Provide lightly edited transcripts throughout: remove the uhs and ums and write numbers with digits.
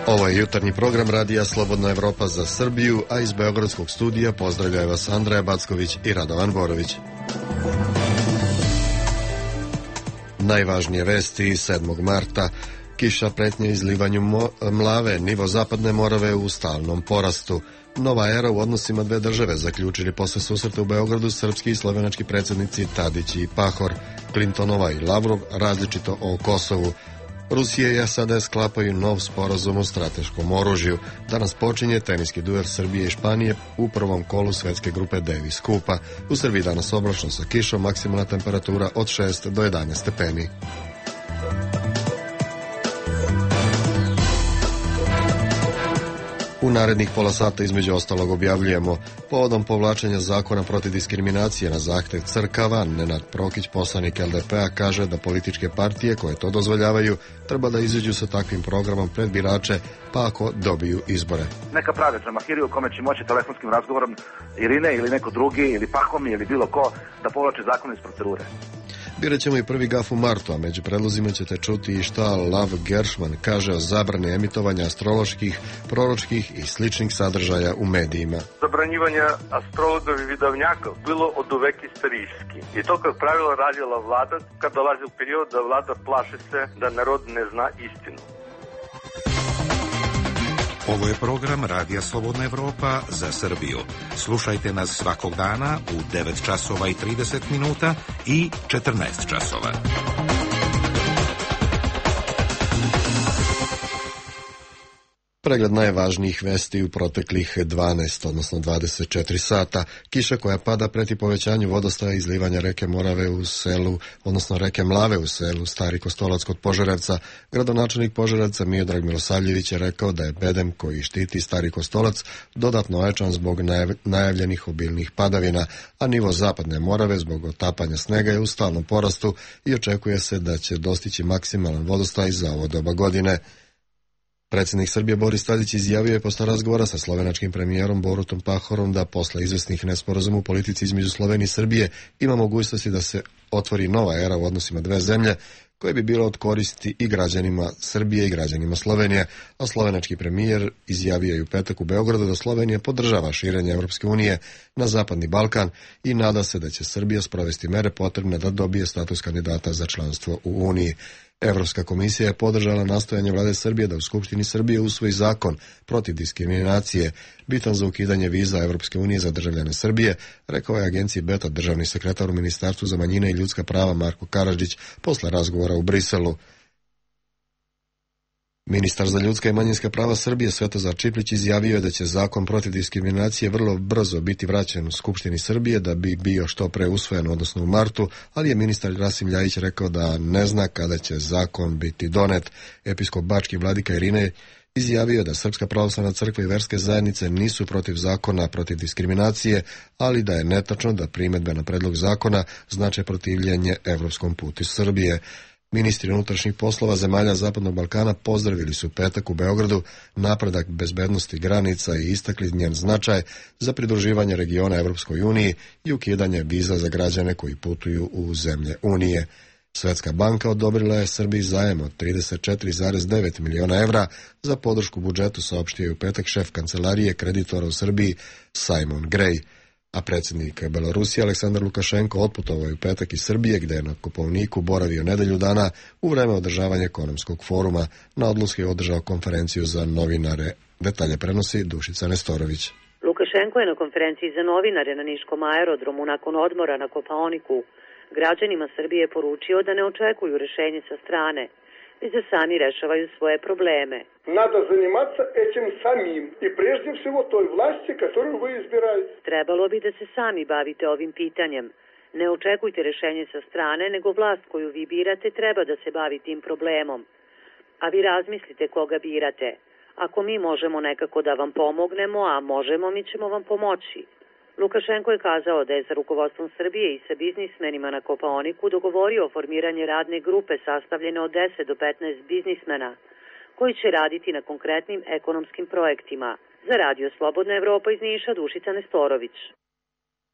Ovo je jutarnji program Radija Slobodna Evropa za Srbiju, a iz Beogradskog studija pozdravljaju vas Andreja Backović i Radovan Borović. Najvažnije vesti 7. marta. Kiša pretnje izlivanju mlave, nivo Zapadne Morave u stalnom porastu. Nova era u odnosima dve države, zaključili posle susreta u Beogradu srpski i slovenački predsjednici Tadić i Pahor, Clintonova i Lavrov različito o Kosovu. Rusija i SAD sklapaju nov sporazum o strateškom oružju. Danas počinje teniski duel Srbije i Španije u prvom kolu svetske grupe Davis Kupa. U Srbiji danas oblačno sa kišom, maksimalna temperatura od 6 do 11 stepeni. U narednih pola sata između ostalog objavljujemo: povodom povlačenja zakona protiv diskriminacije na zahtev crkava, Nenad Prokić, poslanik LDP-a, kaže da političke partije koje to dozvoljavaju treba da izađu sa takvim programom pred birače, pa ako dobiju izbore. Neka prave Džamahiriju kome će moći telefonskim razgovorom Irine ili neko drugi ili Pahomi ili bilo ko da povlače zakon iz procedure. Birat ćemo i prvi gaf u martu, a među predlozima ćete čuti i šta Lav Gershman kaže o zabrani emitovanja astroloških, proročkih i sličnih sadržaja u medijima. Zabranjivanje astrologov i vidovnjaka bilo od uvek istorijski. I to kao pravilo radila vlada kad dolazi u period da vlada plaši se da narod ne zna istinu. Ovo je program Radija Slobodna Evropa za Srbiju. Slušajte nas svakog dana u 9 časova i 30 minuta i 14 časova. Pregled najvažnijih vesti u proteklih 12, odnosno 24 sata. Kiša koja pada preti povećanju vodostaja izlivanja reke Morave u selu, odnosno reke Mlave u selu Stari Kostolac kod Požarevca. Gradonačelnik Požarevca Miodrag Milosavljević je rekao da je bedem koji štiti Stari Kostolac dodatno ojačan zbog najavljenih obilnih padavina, a nivo Zapadne Morave zbog otapanja snega je u stalnom porastu i očekuje se da će dostići maksimalan vodostaj za ovo doba godine. Predsjednik Srbije Boris Tadić izjavio je posle razgovora sa slovenačkim premijerom Borutom Pahorom da posle izvesnih nesporazuma u politici između Slovenije i Srbije ima mogućnosti da se otvori nova era u odnosima dve zemlje koje bi bilo od koristi i građanima Srbije i građanima Slovenije, a slovenački premijer izjavio je u petak u Beogradu da Slovenija podržava širenje Evropske unije na Zapadni Balkan i nada se da će Srbija sprovesti mere potrebne da dobije status kandidata za članstvo u Uniji. Evropska komisija je podržala nastojanje vlade Srbije da u Skupštini Srbije usvoji zakon protiv diskriminacije, bitan za ukidanje viza Evropske unije za državljane Srbije, rekao je agenciji Beta državni sekretar u Ministarstvu za manjine i ljudska prava Marko Karadžić posle razgovora u Briselu. Ministar za ljudska i manjinska prava Srbije Svetozar Čiplić izjavio je da će zakon protiv diskriminacije vrlo brzo biti vraćen u Skupštini Srbije da bi bio što pre usvojen, odnosno u martu, ali je ministar Rasim Ljajić rekao da ne zna kada će zakon biti donet. Episkop bački vladika Irine izjavio je da Srpska pravoslavna crkva i verske zajednice nisu protiv zakona protiv diskriminacije, ali da je netačno da primedbe na predlog zakona znače protivljenje evropskom putu Srbije. Ministri unutrašnjih poslova zemalja Zapadnog Balkana pozdravili su petak u Beogradu napredak bezbednosti granica i istakli njen značaj za pridruživanje regiona Evropskoj uniji i ukidanje viza za građane koji putuju u zemlje Unije. Svetska banka odobrila je Srbiji zajem od 34,9 miliona evra za podršku budžetu, saopštio je u petak šef kancelarije kreditora u Srbiji Simon Gray. A predsjednik Belorusije Aleksandar Lukašenko otputovao je u petak iz Srbije, gde je na Kopaoniku boravio nedelju dana u vreme održavanja ekonomskog foruma. Na odluci je održao konferenciju za novinare. Detalje prenosi Dušica Nestorović. Lukašenko je na konferenciji za novinare na Niškom aerodromu nakon odmora na Kopaoniku građanima Srbije poručio da ne očekuju rešenje sa strane, već da sami rešavaju svoje probleme. Надо заниматься этим самим и прежде всего той власти, которую вы избираете. Trebalo bi da se sami bavite ovim pitanjem. Ne očekujte rešenje sa strane, nego vlast koju vi birate treba da se bavi tim problemom. A vi razmislite koga birate. Ako mi možemo nekako da vam pomognemo, a možemo, mi ćemo vam pomoći. Lukašenko je kazao da je sa rukovodstvom Srbije i sa biznismenima na Kopaoniku dogovorio formiranje radne grupe sastavljene od 10 do 15 biznismena koji će raditi na konkretnim ekonomskim projektima. Za Radio Slobodna Evropa iz Niša, Dušica Nestorović.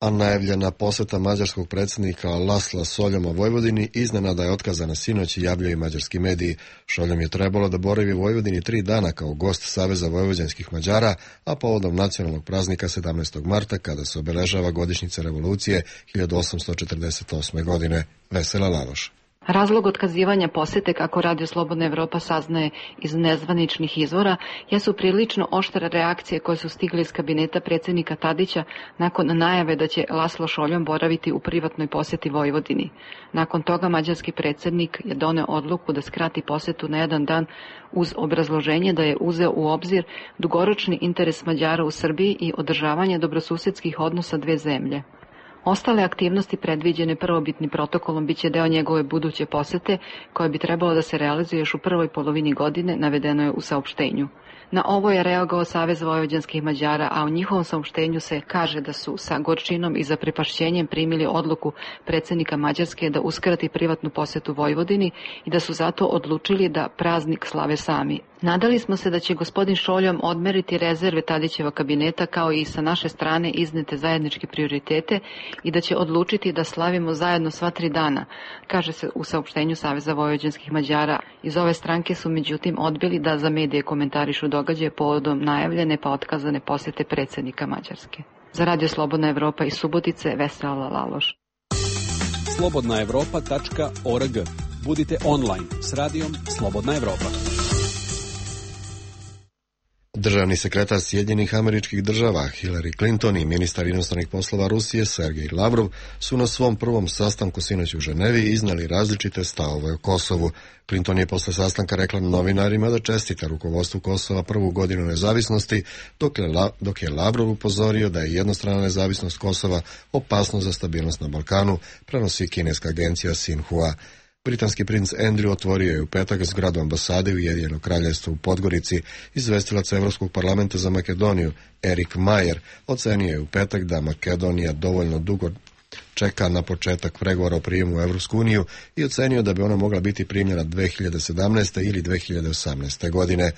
A najavljena poseta mađarskog predsjednika Lasla Soljoma Vojvodini iznenada je otkazana sinoć i javljaju mađarski mediji. Šoljom je trebalo da boravi u Vojvodini 3 dana kao gost Saveza vojvođanskih Mađara, a povodom nacionalnog praznika 17. marta kada se obeležava godišnjica revolucije 1848. godine. Vesela Lavoš. Razlog otkazivanja posete, kako Radio Slobodna Evropa saznaje iz nezvaničnih izvora, jesu prilično oštre reakcije koje su stigle iz kabineta predsjednika Tadića nakon najave da će Laslo Šoljom boraviti u privatnoj poseti Vojvodini. Nakon toga mađarski predsjednik je doneo odluku da skrati posetu na 1 dan uz obrazloženje da je uzeo u obzir dugoročni interes Mađara u Srbiji i održavanje dobrosusedskih odnosa dve zemlje. Ostale aktivnosti predviđene prvobitnim protokolom biće deo njegove buduće posete, koje bi trebalo da se realizuje još u prvoj polovini godine, navedeno je u saopštenju. Na ovo je reagovao Savez vojvođanskih Mađara, a u njihovom saopštenju se kaže da su sa gorčinom i zaprepašćenjem primili odluku predsjednika Mađarske da uskrati privatnu posetu Vojvodini i da su zato odlučili da praznik slave sami. Nadali smo se da će gospodin Šoljom odmeriti rezerve Tadićeva kabineta kao i sa naše strane iznete zajedničke prioritete i da će odlučiti da slavimo zajedno sva 3 dana, kaže se u saopštenju Saveza vojvođanskih Mađara. Iz ove stranke su međutim odbili da za medije komentarišu događaje povodom najavljene pa otkazane posete predsjednika Mađarske. Za Radio Slobodna Evropa iz Subotice, Vesela Laloš. slobodnaevropa.org. Budite online s radijom Slobodna Evropa. Državni sekretar Sjedinjenih Američkih Država Hillary Clinton i ministar inostranih poslova Rusije Sergej Lavrov su na svom prvom sastanku sinoć u Ženevi iznali različite stavove o Kosovu. Clinton je posle sastanka rekla novinarima da čestita rukovodstvu Kosova prvu godinu nezavisnosti, dok je Lavrov upozorio da je jednostrana nezavisnost Kosova opasnost za stabilnost na Balkanu, prenosi kineska agencija Xinhua. Britanski princ Andrew otvorio je u petak zgradu ambasade Ujedinjenog kraljevstva u Podgorici. Izvestilac Evropskog parlamenta za Makedoniju Erik Majer ocenio je u petak da Makedonija dovoljno dugo čeka na početak pregovora o prijemu u Evropsku uniju i ocenio da bi ona mogla biti primljena 2017. ili 2018. godine.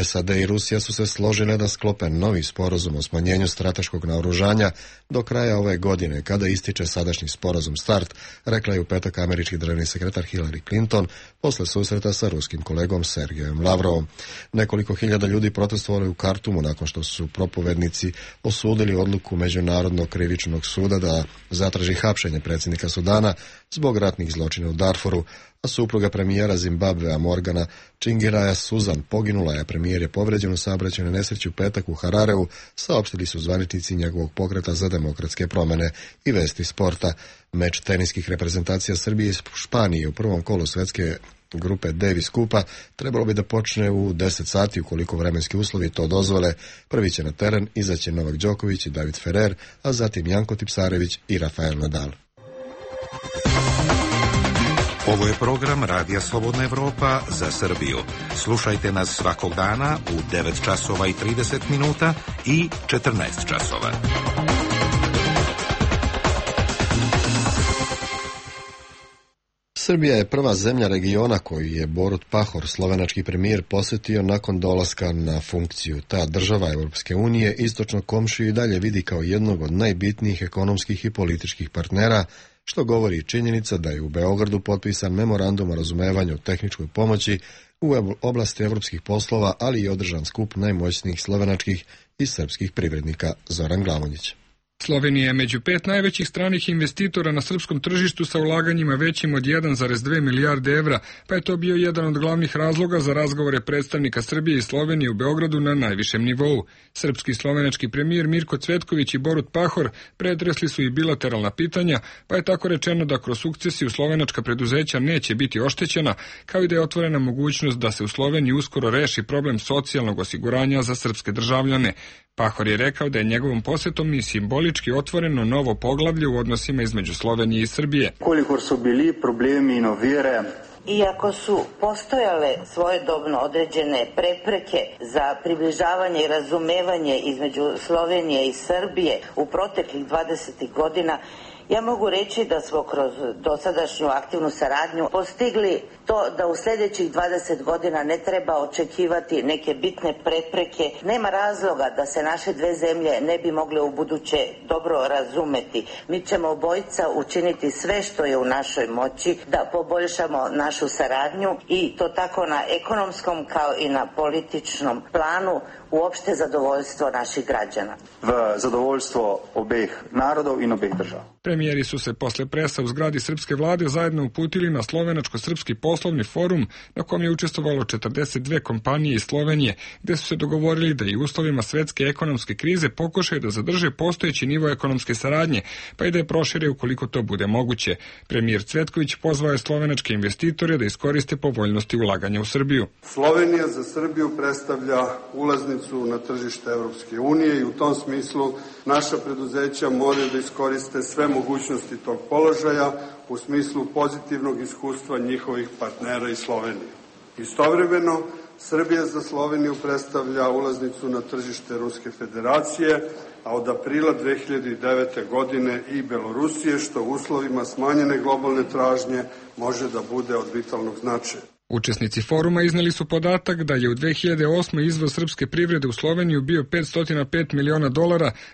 SAD i Rusija su se složile da sklope novi sporazum o smanjenju strateškog naoružanja do kraja ove godine, kada ističe sadašnji sporazum START, rekla je u petak američki državni sekretar Hillary Clinton posle susreta sa ruskim kolegom Sergejem Lavrovom. Nekoliko hiljada ljudi protestovali u Kartumu nakon što su propovednici osudili odluku Međunarodnog krivičnog suda da zatraži hapšenje predsjednika Sudana zbog ratnih zločina u Darfuru, a supruga premijera Zimbabvea Morgana Čingiraja Suzan poginula je, premijer je povređen u saobraćajnoj nesreći u petak u Harareu, saopštili su zvaničnici njegovog pokreta za demokratske promjene i vesti sporta. Meč teniskih reprezentacija Srbije i Španije u prvom kolu svetske grupe Davis Kupa trebalo bi da počne u 10 sati ukoliko vremenski uslovi to dozvole. Prvi će na teren izaći Novak Đoković i David Ferrer, a zatim Janko Tipsarević i Rafael Nadal. Ovo je program Radija Slobodna Evropa za Srbiju. Slušajte nas svakog dana u 9 časova i 30 minuta i 14 časova. Srbija je prva zemlja regiona koju je Borut Pahor, slovenački premijer, posjetio nakon dolaska na funkciju. Ta država Europske unije istočno komšiju i dalje vidi kao jednog od najbitnijih ekonomskih i političkih partnera, što govori činjenica da je u Beogradu potpisan memorandum o razumevanju o tehničkoj pomoći u oblasti evropskih poslova, ali i održan skup najmoćnijih slovenačkih i srpskih privrednika. Zoran Glavonjić. Slovenija je među 5 najvećih stranih investitora na srpskom tržištu sa ulaganjima većim od 1,2 milijarde evra, pa je to bio jedan od glavnih razloga za razgovore predstavnika Srbije i Slovenije u Beogradu na najvišem nivou. Srpski i slovenački premijer Mirko Cvetković i Borut Pahor pretresli su i bilateralna pitanja, pa je tako rečeno da kroz sukcesiju slovenačka preduzeća neće biti oštećena, kao i da je otvorena mogućnost da se u Sloveniji uskoro reši problem socijalnog osiguranja za srpske državljane. Pahor je rekao da je njegovom posetom i simbolički otvoreno novo poglavlje u odnosima između Slovenije i Srbije. Koliko su bili problemi i ovire, iako su postojale svojedobno određene prepreke za približavanje i razumevanje između Slovenije i Srbije u proteklih 20 godina, Ja mogu reći da smo kroz dosadašnju aktivnu saradnju postigli to da u sljedećih 20 godina ne treba očekivati neke bitne prepreke. Nema razloga da se naše dve zemlje ne bi mogle u buduće dobro razumeti. Mi ćemo obojica učiniti sve što je u našoj moći da poboljšamo našu saradnju i to tako na ekonomskom kao i na političnom planu u opšte zadovoljstvo naših građana. V zadovoljstvo obeh narodov in obeh držav. Premijeri su se posle presa u zgradi srpske vlade zajedno uputili na slovenačko-srpski poslovni forum na kom je učestvovalo 42 kompanije iz Slovenije, gde su se dogovorili da i u uslovima svetske ekonomske krize pokušaju da zadrže postojeći nivo ekonomske saradnje, pa i da je prošire ukoliko to bude moguće. Premijer Cvetković pozvao je slovenačke investitore da iskoriste povoljnosti ulaganja u Srbiju. Slovenija za Srbiju predstavlja ulaznicu na tržište Evropske unije i u tom smislu naša preduzeća moraju da iskoriste sve mogućnosti tog položaja u smislu pozitivnog iskustva njihovih partnera iz Slovenije. Istovremeno, Srbija za Sloveniju predstavlja ulaznicu na tržište Ruske federacije, a od aprila 2009. godine i Belorusije, što u uslovima smanjene globalne tražnje može da bude od vitalnog značaja. Učesnici foruma izneli su podatak da je u 2008. izvoz srpske privrede u Sloveniju bio $505 miliona,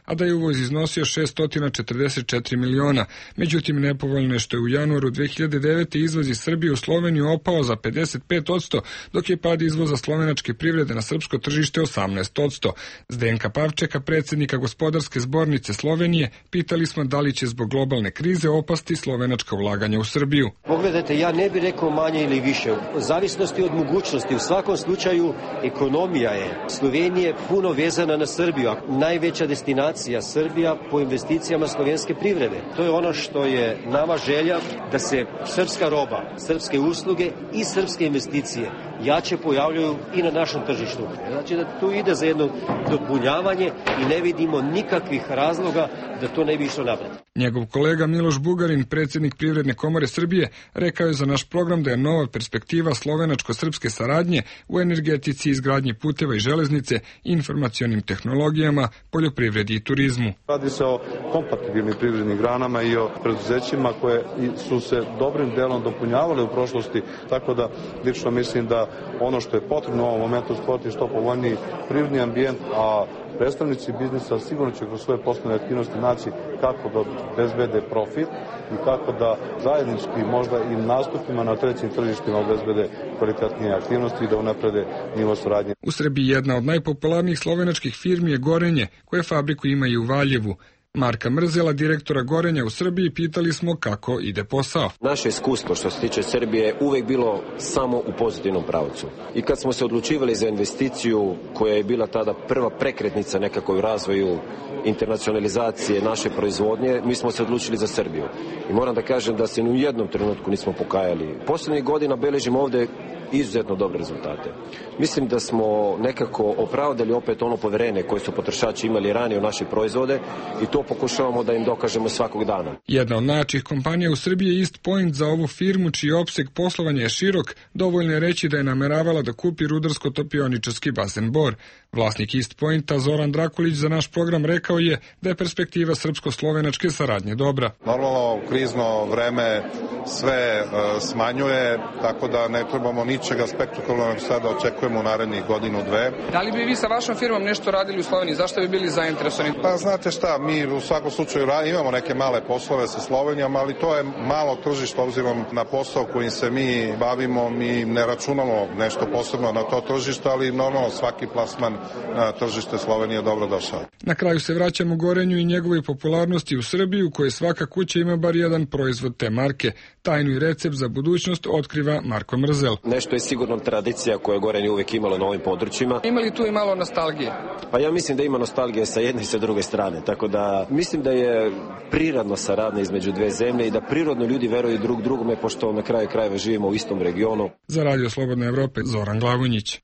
a da je uvoz iznosio $644 miliona. Međutim, nepovoljno je što je u januaru 2009. izvoz iz Srbije u Sloveniju opao za 55%, dok je pad izvoza slovenačke privrede na srpsko tržište 18%. Zdenka Pavčeka, predsjednika Gospodarske zbornice Slovenije, pitali smo da li će zbog globalne krize opasti slovenačka ulaganja u Srbiju. Pogledajte, ja ne bih rekao manje ili više. Zavisnosti od mogućnosti. U svakom slučaju ekonomija je Slovenije puno vezana na Srbiju. Najveća destinacija Srbija po investicijama slovenske privrede. To je ono što je nama želja da se srpska roba, srpske usluge i srpske investicije jače pojavljaju i na našem tržištu. Znači da tu ide za jedno dopunjavanje i ne vidimo nikakvih razloga da to ne bi išlo napred. Njegov kolega Miloš Bugarin, predsjednik Privredne komore Srbije, rekao je za naš program da je nova perspektiva slovenačko-srpske saradnje u energetici, izgradnji puteva i železnice, informacionim tehnologijama, poljoprivredi i turizmu. Radi se o kompatibilnim privrednim granama i o preduzećima koje su se dobrim delom dopunjavale u prošlosti, tako da lično mislim da ono što je potrebno u ovom momentu stvoriti što povoljniji privredni ambijent, a predstavnici biznisa sigurno će kroz svoje poslovne aktivnosti naći kako da obezbede profit i kako da zajednički možda i nastupima na trećim tržištima obezbede kvalitetnije aktivnosti i da unaprede nivo saradnje. U Srbiji jedna od najpopularnijih slovenačkih firmi je Gorenje, koje fabriku ima i u Valjevu. Marka Mrzela, direktora Gorenja u Srbiji, pitali smo kako ide posao. Naše iskustvo što se tiče Srbije je uvek bilo samo u pozitivnom pravcu. I kad smo se odlučivali za investiciju koja je bila tada prva prekretnica nekako u razvoju internacionalizacije naše proizvodnje, mi smo se odlučili za Srbiju. I moram da kažem da se ni u jednom trenutku nismo pokajali. Poslednjih godina beležimo ovde izuzetno dobre rezultate. Mislim da smo nekako opravdali opet ono poverenje koje su potrošači imali ranije u naše proizvode i to pokušavamo da im dokažemo svakog dana. Jedna od najjačih kompanija u Srbiji je East Point. Za ovu firmu, čiji opseg poslovanja je širok, dovoljno je reći da je nameravala da kupi rudarsko-topioničarski bazen Bor. Vlasnik East Pointa, Zoran Drakulić, za naš program rekao je da je perspektiva srpsko-slovenačke saradnje dobra. Normalno, krizno vreme sve smanjuje, tako da ne trebamo ničega spektakularnog sada očekujemo u narednih godinu, dve. Da li bi vi sa vašom firmom nešto radili u Sloveniji? Zašto bi bili zainteresovani? Pa znate šta, mi u svakom slučaju imamo neke male poslove sa Slovenijom, ali to je malo tržište obzirom na posao kojim se mi bavimo. Mi ne računamo nešto posebno na to tržište, ali normalno svaki plasman na tržište Slovenije je dobro došao. Na kraju se vraćamo Gorenju i njegovoj popularnosti u Srbiji, u kojoj svaka kuća ima bar jedan proizvod te marke. Tajnu i recept za budućnost otkriva Marko Mrzel. Nešto je sigurno tradicija koja je Gorenje uvek imalo na ovim područjima. Ima li tu i malo nostalgije? Pa ja mislim da ima nostalgije sa jedne i sa druge strane, tako da mislim da je prirodna saradnja između dve zemlje i da prirodno ljudi veruju drug drugome, pošto na kraju krajeva živimo u istom regionu. Za Radio Slobodne Evrope, Zoran Glavonjić.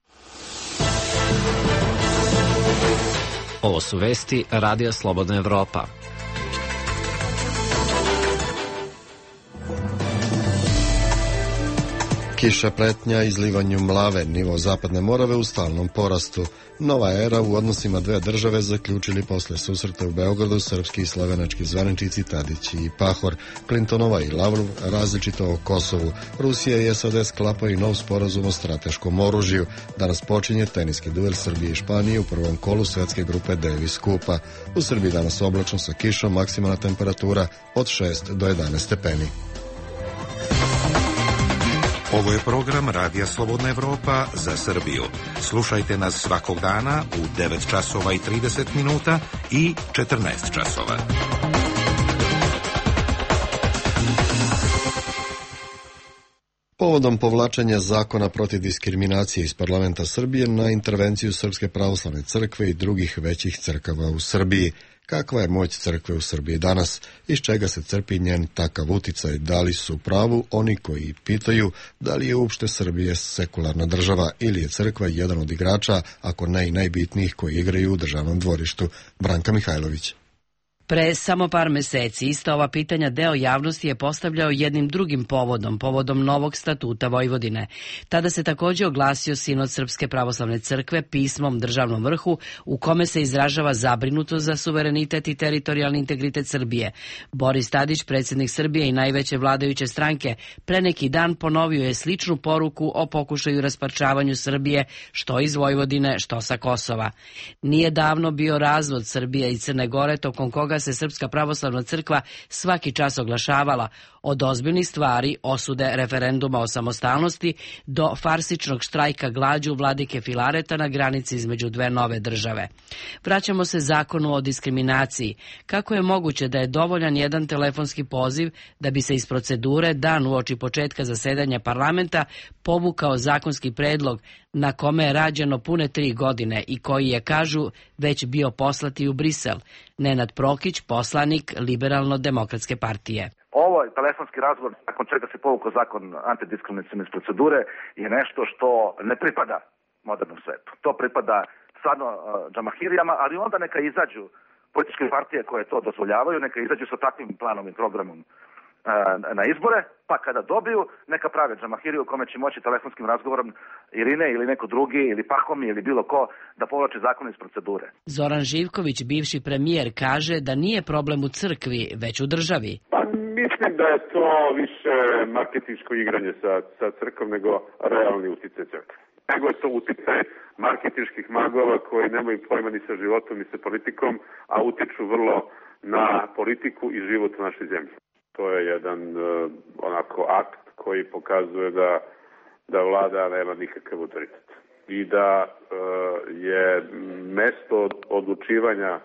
Ovo su vesti Radija Slobodna Evropa. Kiša pretnja izlivanju mlave, nivo Zapadne Morave u stalnom porastu. Nova era u odnosima dve države zaključili posle susreta u Beogradu srpski i slovenački zvaničnici Tadić i Pahor, Clintonova i Lavrov različito o Kosovu. Rusija i SAD sklapaju nov sporazum o strateškom oružju. Danas počinje teniski duel Srbije i Španije u prvom kolu svetske grupe Davis Kupa. U Srbiji danas oblačno sa kišom, maksimalna temperatura od 6 do 11 stepeni. Ovo je program Radija Slobodna Evropa za Srbiju. Slušajte nas svakog dana u 9 časova i 30 minuta i 14 časova. Povodom povlačenja zakona protiv diskriminacije iz parlamenta Srbije na intervenciju Srpske pravoslavne crkve i drugih većih crkava u Srbiji. Kakva je moć crkve u Srbiji danas? Iz čega se crpi njen takav uticaj? Da li su u pravu oni koji pitaju da li je uopšte Srbije sekularna država ili je crkva jedan od igrača, ako ne i najbitnijih koji igraju u državnom dvorištu? Branka Mihajlović. Pre samo par meseci ista ova pitanja deo javnosti je postavljao jednim drugim povodom novog statuta Vojvodine. Tada se takođe oglasio Sinod Srpske pravoslavne crkve pismom državnom vrhu u kome se izražava zabrinutost za suverenitet i teritorijalni integritet Srbije. Boris Tadić, predsjednik Srbije i najveće vladajuće stranke, pre neki dan ponovio je sličnu poruku o pokušaju rasparčavanju Srbije, što iz Vojvodine, što sa Kosova. Nije davno bio razvod Srbije i Crne Gore, tokom koga se Srpska pravoslavna crkva svaki čas oglašavala, od ozbiljnih stvari, osude referenduma o samostalnosti, do farsičnog štrajka glađu vladike Filareta na granici između dve nove države. Vraćamo se zakonu o diskriminaciji. Kako je moguće da je dovoljan jedan telefonski poziv da bi se iz procedure dan uoči početka zasedanja parlamenta povukao zakonski predlog na kome je rađeno pune 3 godine i koji je, kažu, već bio poslati u Brisel? Nenad Prokić, poslanik Liberalno-demokratske partije. Ovo telefonski razgovor, nakon čega se povukao zakon antidiskriminacijne iz procedure, je nešto što ne pripada modernom svetu. To pripada stvarno džamahirijama, ali onda neka izađu političke partije koje to dozvoljavaju, neka izađu sa takvim planom i programom na izbore, pa kada dobiju, neka prave džamahiriju u kome će moći telefonskim razgovorom Irine ili neko drugi, ili Pahom ili bilo ko, da povlači zakon iz procedure. Zoran Živković, bivši premijer, kaže da nije problem u crkvi, već u državi. Pa mislim da je to više marketinško igranje sa crkvom nego realni uticaj crkve. Nego je to uticaj marketinških magova koji nemaju pojma ni sa životom ni sa politikom, a utiču vrlo na politiku i život u našoj zemlji. To je jedan onako akt koji pokazuje da vlada nema nikakav autoritet i da je mesto odlučivanja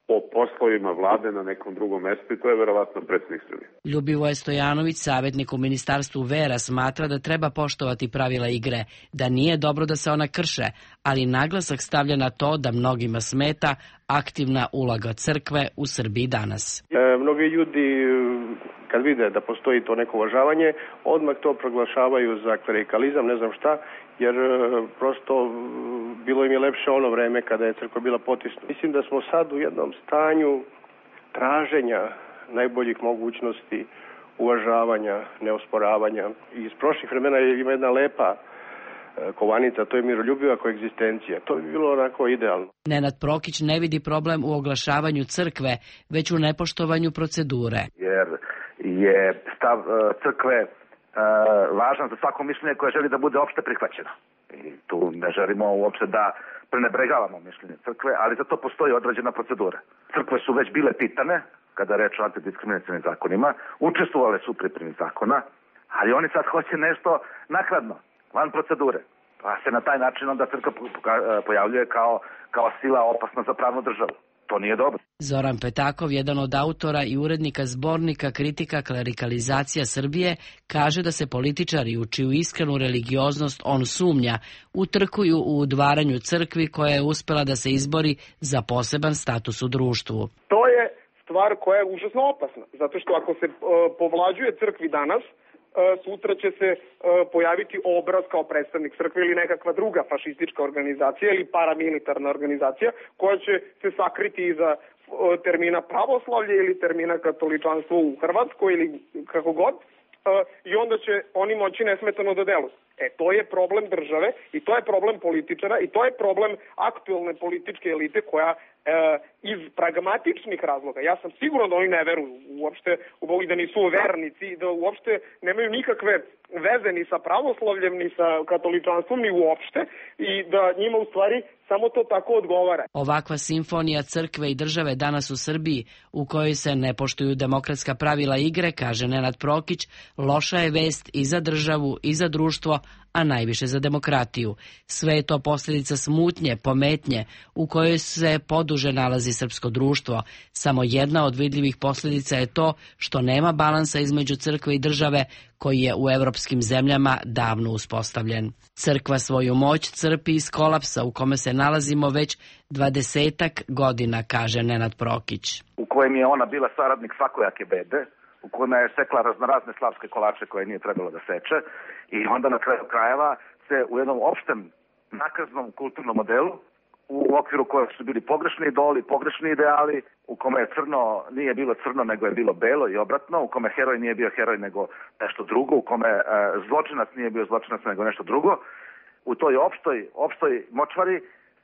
o poslovima vlade na nekom drugom mestu i to je verovatno predsjednik Srbije. Ljubivoje Stojanović, savjetnik u Ministarstvu vera, smatra da treba poštovati pravila igre, da nije dobro da se ona krše, ali naglasak stavlja na to da mnogima smeta aktivna uloga crkve u Srbiji danas. Mnogi ljudi kad vide da postoji to neko uvažavanje, odmah to proglašavaju za klerikalizam, ne znam šta, jer prosto bilo im je lepše ono vreme kada je crkva bila potisnuta. Mislim da smo sad u jednom stanju traženja najboljih mogućnosti, uvažavanja, neosporavanja. Iz prošlih vremena ima jedna lepa kovanica, to je miroljubiva koegzistencija. To bi bilo onako idealno. Nenad Prokić ne vidi problem u oglašavanju crkve, već u nepoštovanju procedure. Jer je stav crkve važan za svako mišljenje koje želi da bude opšte prihvaćeno. I tu ne želimo uopšte da prenebregavamo mišljenje crkve, ali za to postoji određena procedura. Crkve su već bile pitane, kada je reč o antidiskriminacijnim zakonima, učestvovale su u pripremi zakona, ali oni sad hoće nešto nakladno, van procedure. Pa se na taj način onda crkva pojavljuje kao sila opasna za pravnu državu. To nije dobro. Zoran Petakov, jedan od autora i urednika zbornika Kritika klerikalizacija Srbije, kaže da se političari u čiju iskrenu religioznost on sumnja utrkuju u udvaranju crkvi koja je uspela da se izbori za poseban status u društvu. To je stvar koja je užasno opasna, zato što ako se povlađuje crkvi danas, sutra će se pojaviti obraz kao predstavnik crkve ili nekakva druga fašistička organizacija ili paramilitarna organizacija koja će se sakriti iza termina pravoslavlje ili termina katoličanstvo u Hrvatskoj ili kako god. i onda će oni moći nesmetano da deluju. To je problem države i to je problem političara i to je problem aktuelne političke elite koja iz pragmatičnih razloga, ja sam siguran da oni ne veruju uopšte u Boga i da nisu vernici i da uopšte nemaju nikakve veze ni sa pravoslavljem, ni sa katoličanstvom, ni uopšte i da njima u stvari samo to tako odgovara. Ovakva simfonija crkve i države danas u Srbiji, u kojoj se ne poštuju demokratska pravila igre, kaže Nenad Prokić, loša je vest i za državu i za društvo, a najviše za demokratiju. Sve je to posljedica smutnje, pometnje, u kojoj se poduže nalazi srpsko društvo. Samo jedna od vidljivih posljedica je to što nema balansa između crkve i države, koji je u evropskim zemljama davno uspostavljen. Crkva svoju moć crpi iz kolapsa u kome se nalazimo već 20-ak godina, kaže Nenad Prokić. U kojem je ona bila saradnik svakojake bede, u kojima je sekla raznorazne slavske kolače koje nije trebalo da seče i onda na kraju krajeva se u jednom opštem nakaznom kulturnom modelu u okviru kojeg su bili pogrešni idoli, pogrešni ideali, u kome je crno nije bilo crno nego je bilo belo i obratno, u kome heroj nije bio heroj nego nešto drugo, u kome zločinac nije bio zločinac nego nešto drugo. U toj opštoj močvari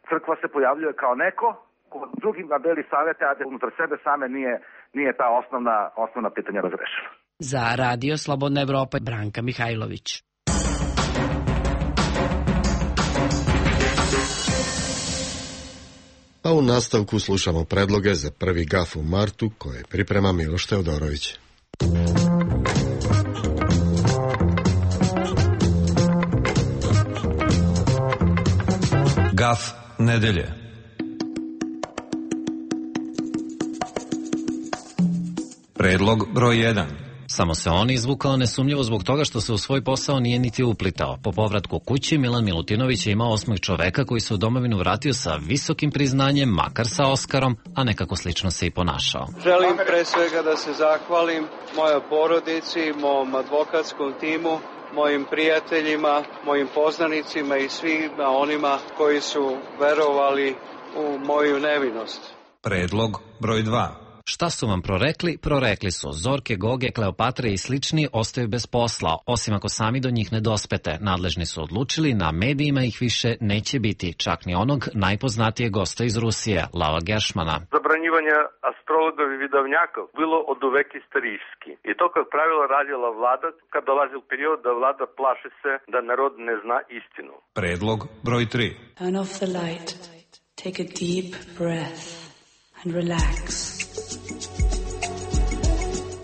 crkva se pojavljuje kao neko ko drugima deli savete, a da unutar sebe same nije ta osnovna pitanja razrešila. Za Radio Slobodna Evropa, Branka Mihajlović. A u nastavku slušamo predloge za prvi gaf u martu koje priprema Miloš Teodorović. Gaf nedelje. Predlog broj 1. Samo se on izvukao nesumnjivo zbog toga što se u svoj posao nije niti uplitao. Po povratku kući Milan Milutinović je imao osmeh čoveka koji se u domovinu vratio sa visokim priznanjem, makar sa Oskarom, a nekako slično se i ponašao. Želim pre svega da se zahvalim mojoj porodici, mom advokatskom timu, mojim prijateljima, mojim poznanicima i svima onima koji su verovali u moju nevinost. Predlog broj 2. Šta su vam prorekli? Prorekli su. Zorke, Goge, Kleopatre i slični ostaju bez posla, osim ako sami do njih ne dospete. Nadležni su odlučili, na medijima ih više neće biti, čak ni onog najpoznatijeg gosta iz Rusije, Lava Geršmana. Zabranjivanje astrologov i vidovnjakov bilo od uvek istorijski. I to, kao pravilo, radila vlada kad dolazi u period da vlada plaši se da narod ne zna istinu. Predlog broj 3. Turn off the light, take a deep breath and relax.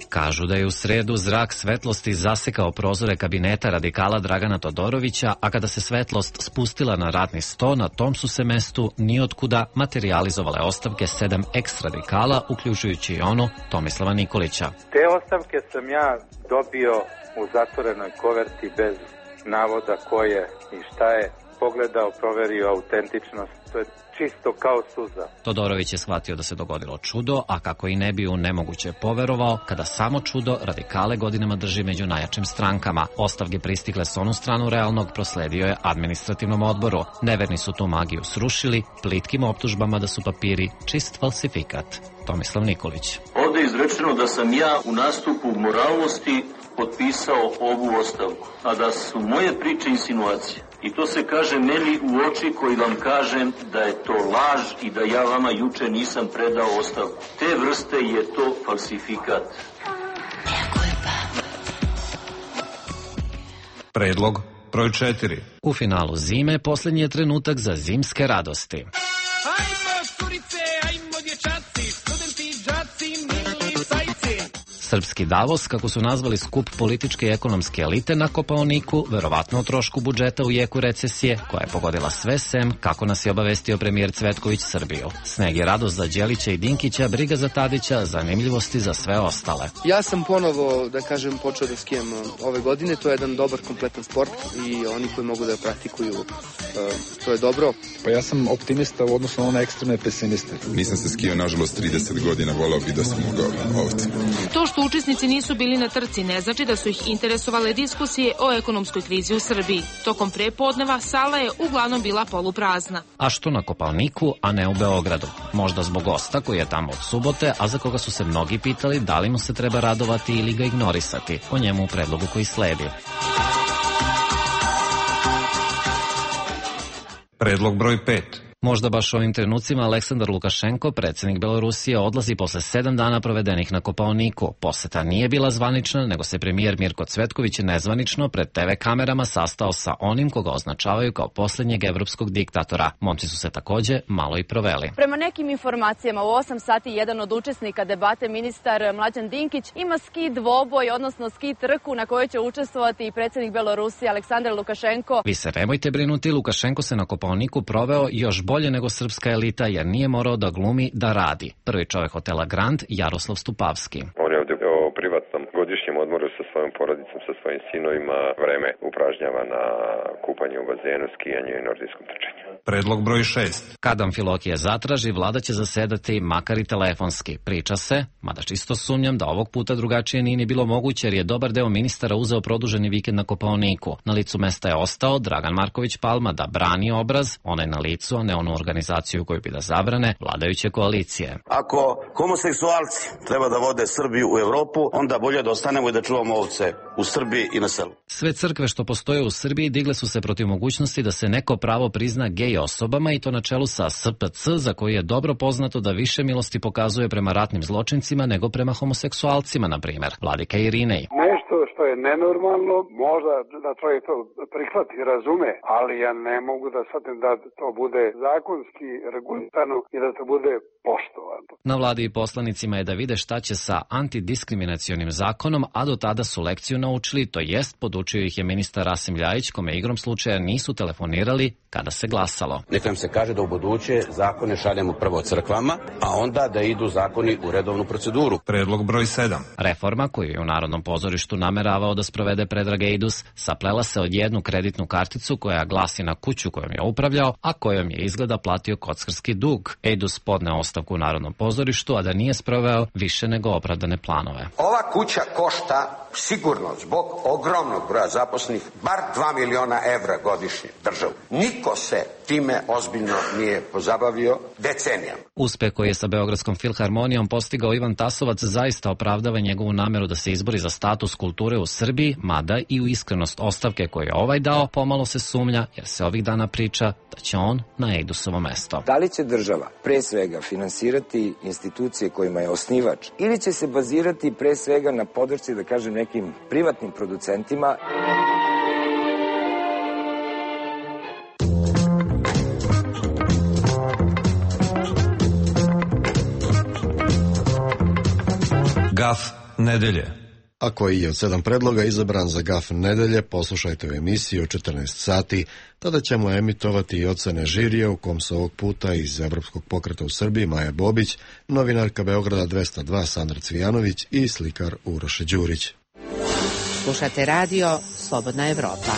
Kažu da je u sredu zrak svetlosti zasekao prozore kabineta radikala Dragana Todorovića, a kada se svetlost spustila na radni sto, na tom su se mestu nijotkuda materijalizovale ostavke 7 ex-radikala, uključujući i onu Tomislava Nikolića. Te ostavke sam ja dobio u zatvorenoj koverti bez navoda ko je i šta je, pogledao, proverio autentičnost, to je čisto kao suza. Todorović je shvatio da se dogodilo čudo, a kako i ne bi u nemoguće poverovao, kada samo čudo radikale godinama drži među najjačim strankama. Ostavke pristigle s onu stranu realnog prosledio je administrativnom odboru. Neverni su tu magiju srušili, plitkim optužbama da su papiri čist falsifikat. Tomislav Nikolić. Ovde je izrečeno da sam ja u nastupu moralnosti potpisao ovu ostavku, a da su moje priče insinuacije. I to se kaže meni u oči koji vam kažem da je to laž i da ja vama juče nisam predao ostavku. Te vrste je to falsifikat. Predlog broj 4. U finalu zime posljednji je trenutak za zimske radosti. Ajmo curice, ajmo dječaci, studenti, džaci, mili sajci. Srpski Davos, kako su nazvali skup političke i ekonomske elite na Kopaoniku, verovatno o trošku budžeta u jeku recesije, koja je pogodila sve sem, kako nas je obavestio premijer Cvetković Srbiju. Sneg je radost za Đelića i Dinkića, briga za Tadića, zanimljivosti za sve ostale. Ja sam ponovo, da kažem, počeo da skijem ove godine, to je jedan dobar, kompletan sport i oni koji mogu da praktikuju, to je dobro. Pa ja sam optimista u odnosu na one ekstremne pesimiste. Nisam se skijao, nažalost, 30 godina, volao bi da sam mogao ovdje. To što što učesnici nisu bili na trci ne znači da su ih interesovale diskusije o ekonomskoj krizi u Srbiji. Tokom prepodneva sala je uglavnom bila poluprazna. A što na Kopaoniku, a ne u Beogradu? Možda zbog gosta koji je tamo od subote, a za koga su se mnogi pitali da li mu se treba radovati ili ga ignorisati. O njemu u predlogu koji sledi. Predlog broj 5. Možda baš u ovim trenucima Aleksandar Lukašenko, predsjednik Belorusije, odlazi posle 7 dana provedenih na Kopaoniku. Poseta nije bila zvanična, nego se premijer Mirko Cvetković nezvanično pred TV kamerama sastao sa onim koga označavaju kao posljednjeg evropskog diktatora. Momci su se takođe malo i proveli. Prema nekim informacijama u 8 sati jedan od učesnika debate, ministar Mlađan Dinkić, ima ski dvoboj, odnosno ski trku na kojoj će učestvovati i predsjednik Belorusije Aleksandar Lukašenko. Vi se nemojte brinuti, Lukašenko se na Kopaoniku proveo još bolje nego srpska elita, jer nije morao da glumi, da radi. Prvi čovjek hotela Grand, Jaroslav Stupavski. On je ovdje o privatnom godišnjem odmoru sa svojom porodicom, sa svojim sinovima, vreme upražnjava na kupanje u bazenu, skijanju i nordijskom trčanju. Predlog broj 6. Kad Amfilohije zatraži, vlada će zasedati makar i telefonski. Priča se, mada čisto sumnjam da ovog puta drugačije nije ni bilo moguće, jer je dobar deo ministara uzeo produženi vikend na Kopaoniku. Na licu mesta je ostao Dragan Marković Palma da brani obraz, onaj na licu, a ne onu organizaciju koju bi da zabrane vladajuće koalicije. Ako homoseksualci treba da vode Srbiju u Evropu, onda bolje da ostanemo i da čuvamo ovce u Srbiji i na selu. Sve crkve što postoje u Srbiji digle su se protiv mogućnosti da se neko pravo prizna gej osobama, i to na čelu sa SPC, za koji je dobro poznato da više milosti pokazuje prema ratnim zločincima nego prema homoseksualcima, na primjer. Vladika Irinej. Nešto što je nenormalno, možda da čovjek to prihvati i razume, ali ja ne mogu da shvatim da to bude zakonski regulisano i da to bude poštovano. Na vladi i poslanicima je da vide šta će sa antidiskriminacionim zakonom, a do tada su lekciju naučili, to jest podučio ih je ministar Rasim Ljajić, kome igrom slučaja nisu telefonirali kada se glasalo. Neka nam se kaže da u buduće zakone šaljemo prvo crkvama, a onda da idu zakoni u redovnu proceduru. Predlog broj 7. Reforma koju je u Narodnom pozorištu nameravao da sprovede Predrag Ejdus saplela se od jednu kreditnu karticu koja glasi na kuću kojom je upravljao, a kojom je izgleda platio kockarski dug. Ejdus podneo ostavku u Narodnom pozorištu, a da nije sproveo više nego opravdane planove. Ova kuća košta sigurno zbog ogromnog broja zaposlenih bar 2 miliona evra godišnje državu. Niko se time ozbiljno nije pozabavio decenijama. Uspeh koji je sa Beogradskom filharmonijom postigao Ivan Tasovac zaista opravdava njegovu nameru da se izbori za status kulture u Srbiji, mada i u iskrenost ostavke koju je ovaj dao pomalo se sumnja, jer se ovih dana priča da će on na Ejdusovo mesto. Da li će država pre svega finansirati institucije kojima je osnivač, ili će se bazirati pre svega na podršci, da kažem, nekim privatnim producentima? Gaf nedelje. A koji je od 7 predloga izabran za Gaf nedelje, poslušajte u emisiji o 14 sati. Tada ćemo emitovati i ocene žirija, u kom se ovog puta iz Evropskog pokreta u Srbiji Maja Bobić, novinarka Beograda 202 Sandra Cvijanović i slikar Uroše Đurić. Slušate radio Slobodna Evropa.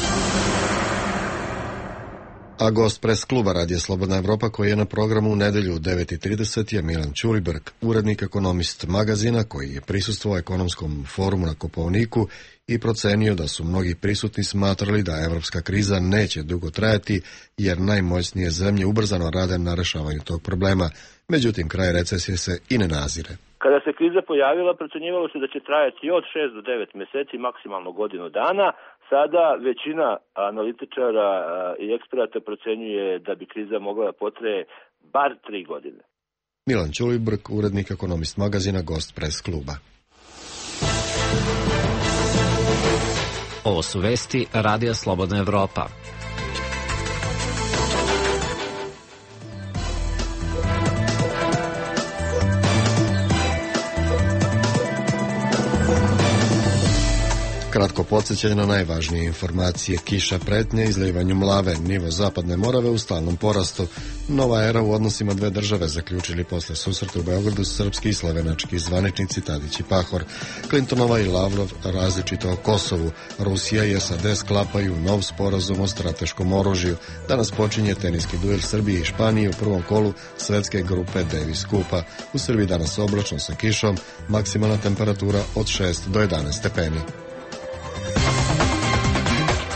A gost pres kluba Radija Slobodna Evropa koji je na programu u nedelju u 9:30 je Milan Ćuliberg, urednik Ekonomist magazina koji je prisustvovao ekonomskom forumu na Kopaoniku i procenio da su mnogi prisutni smatrali da evropska kriza neće dugo trajati jer najmoćnije zemlje ubrzano rade na rešavanju tog problema. Međutim, kraj recesije se i ne nazire. Kada se kriza pojavila, procenjivalo se da će trajati od 6 do 9 meseci, maksimalno godinu dana. Sada većina analitičara i eksperata procenjuje da bi kriza mogla da potraje bar 3 godine. Milan Ćulibrk, urednik Ekonomist magazina, gost pres kluba. Ovo su vesti Radija Slobodna Evropa. Kratko podsjećanje na najvažnije informacije. Kiša pretnje izlivanju mlave. Nivo zapadne Morave u stalnom porastu. Nova era u odnosima dve države zaključili posle susreta u Beogradu srpski i slovenački zvaničnici Tadić i Pahor. Clintonova i Lavrov različito o Kosovu. Rusija i SAD sklapaju nov sporazum o strateškom oružju. Danas počinje teniski duel Srbije i Španije u prvom kolu svetske grupe Davis Kupa. U Srbiji danas oblačno sa kišom, maksimalna temperatura od 6 do 11 stepeni.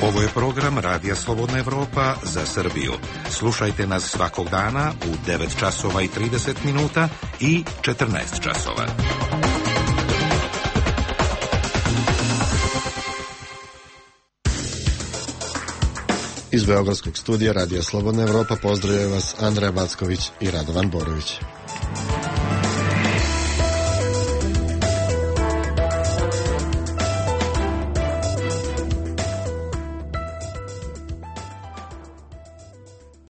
Ovo je program Radija Slobodna Evropa za Srbiju. Slušajte nas svakog dana u 9 časova i 30 minuta i 14 časova. Iz Beogradskog studija Radija Slobodna Evropa pozdravljaju vas Andreja Backović i Radovan Borović.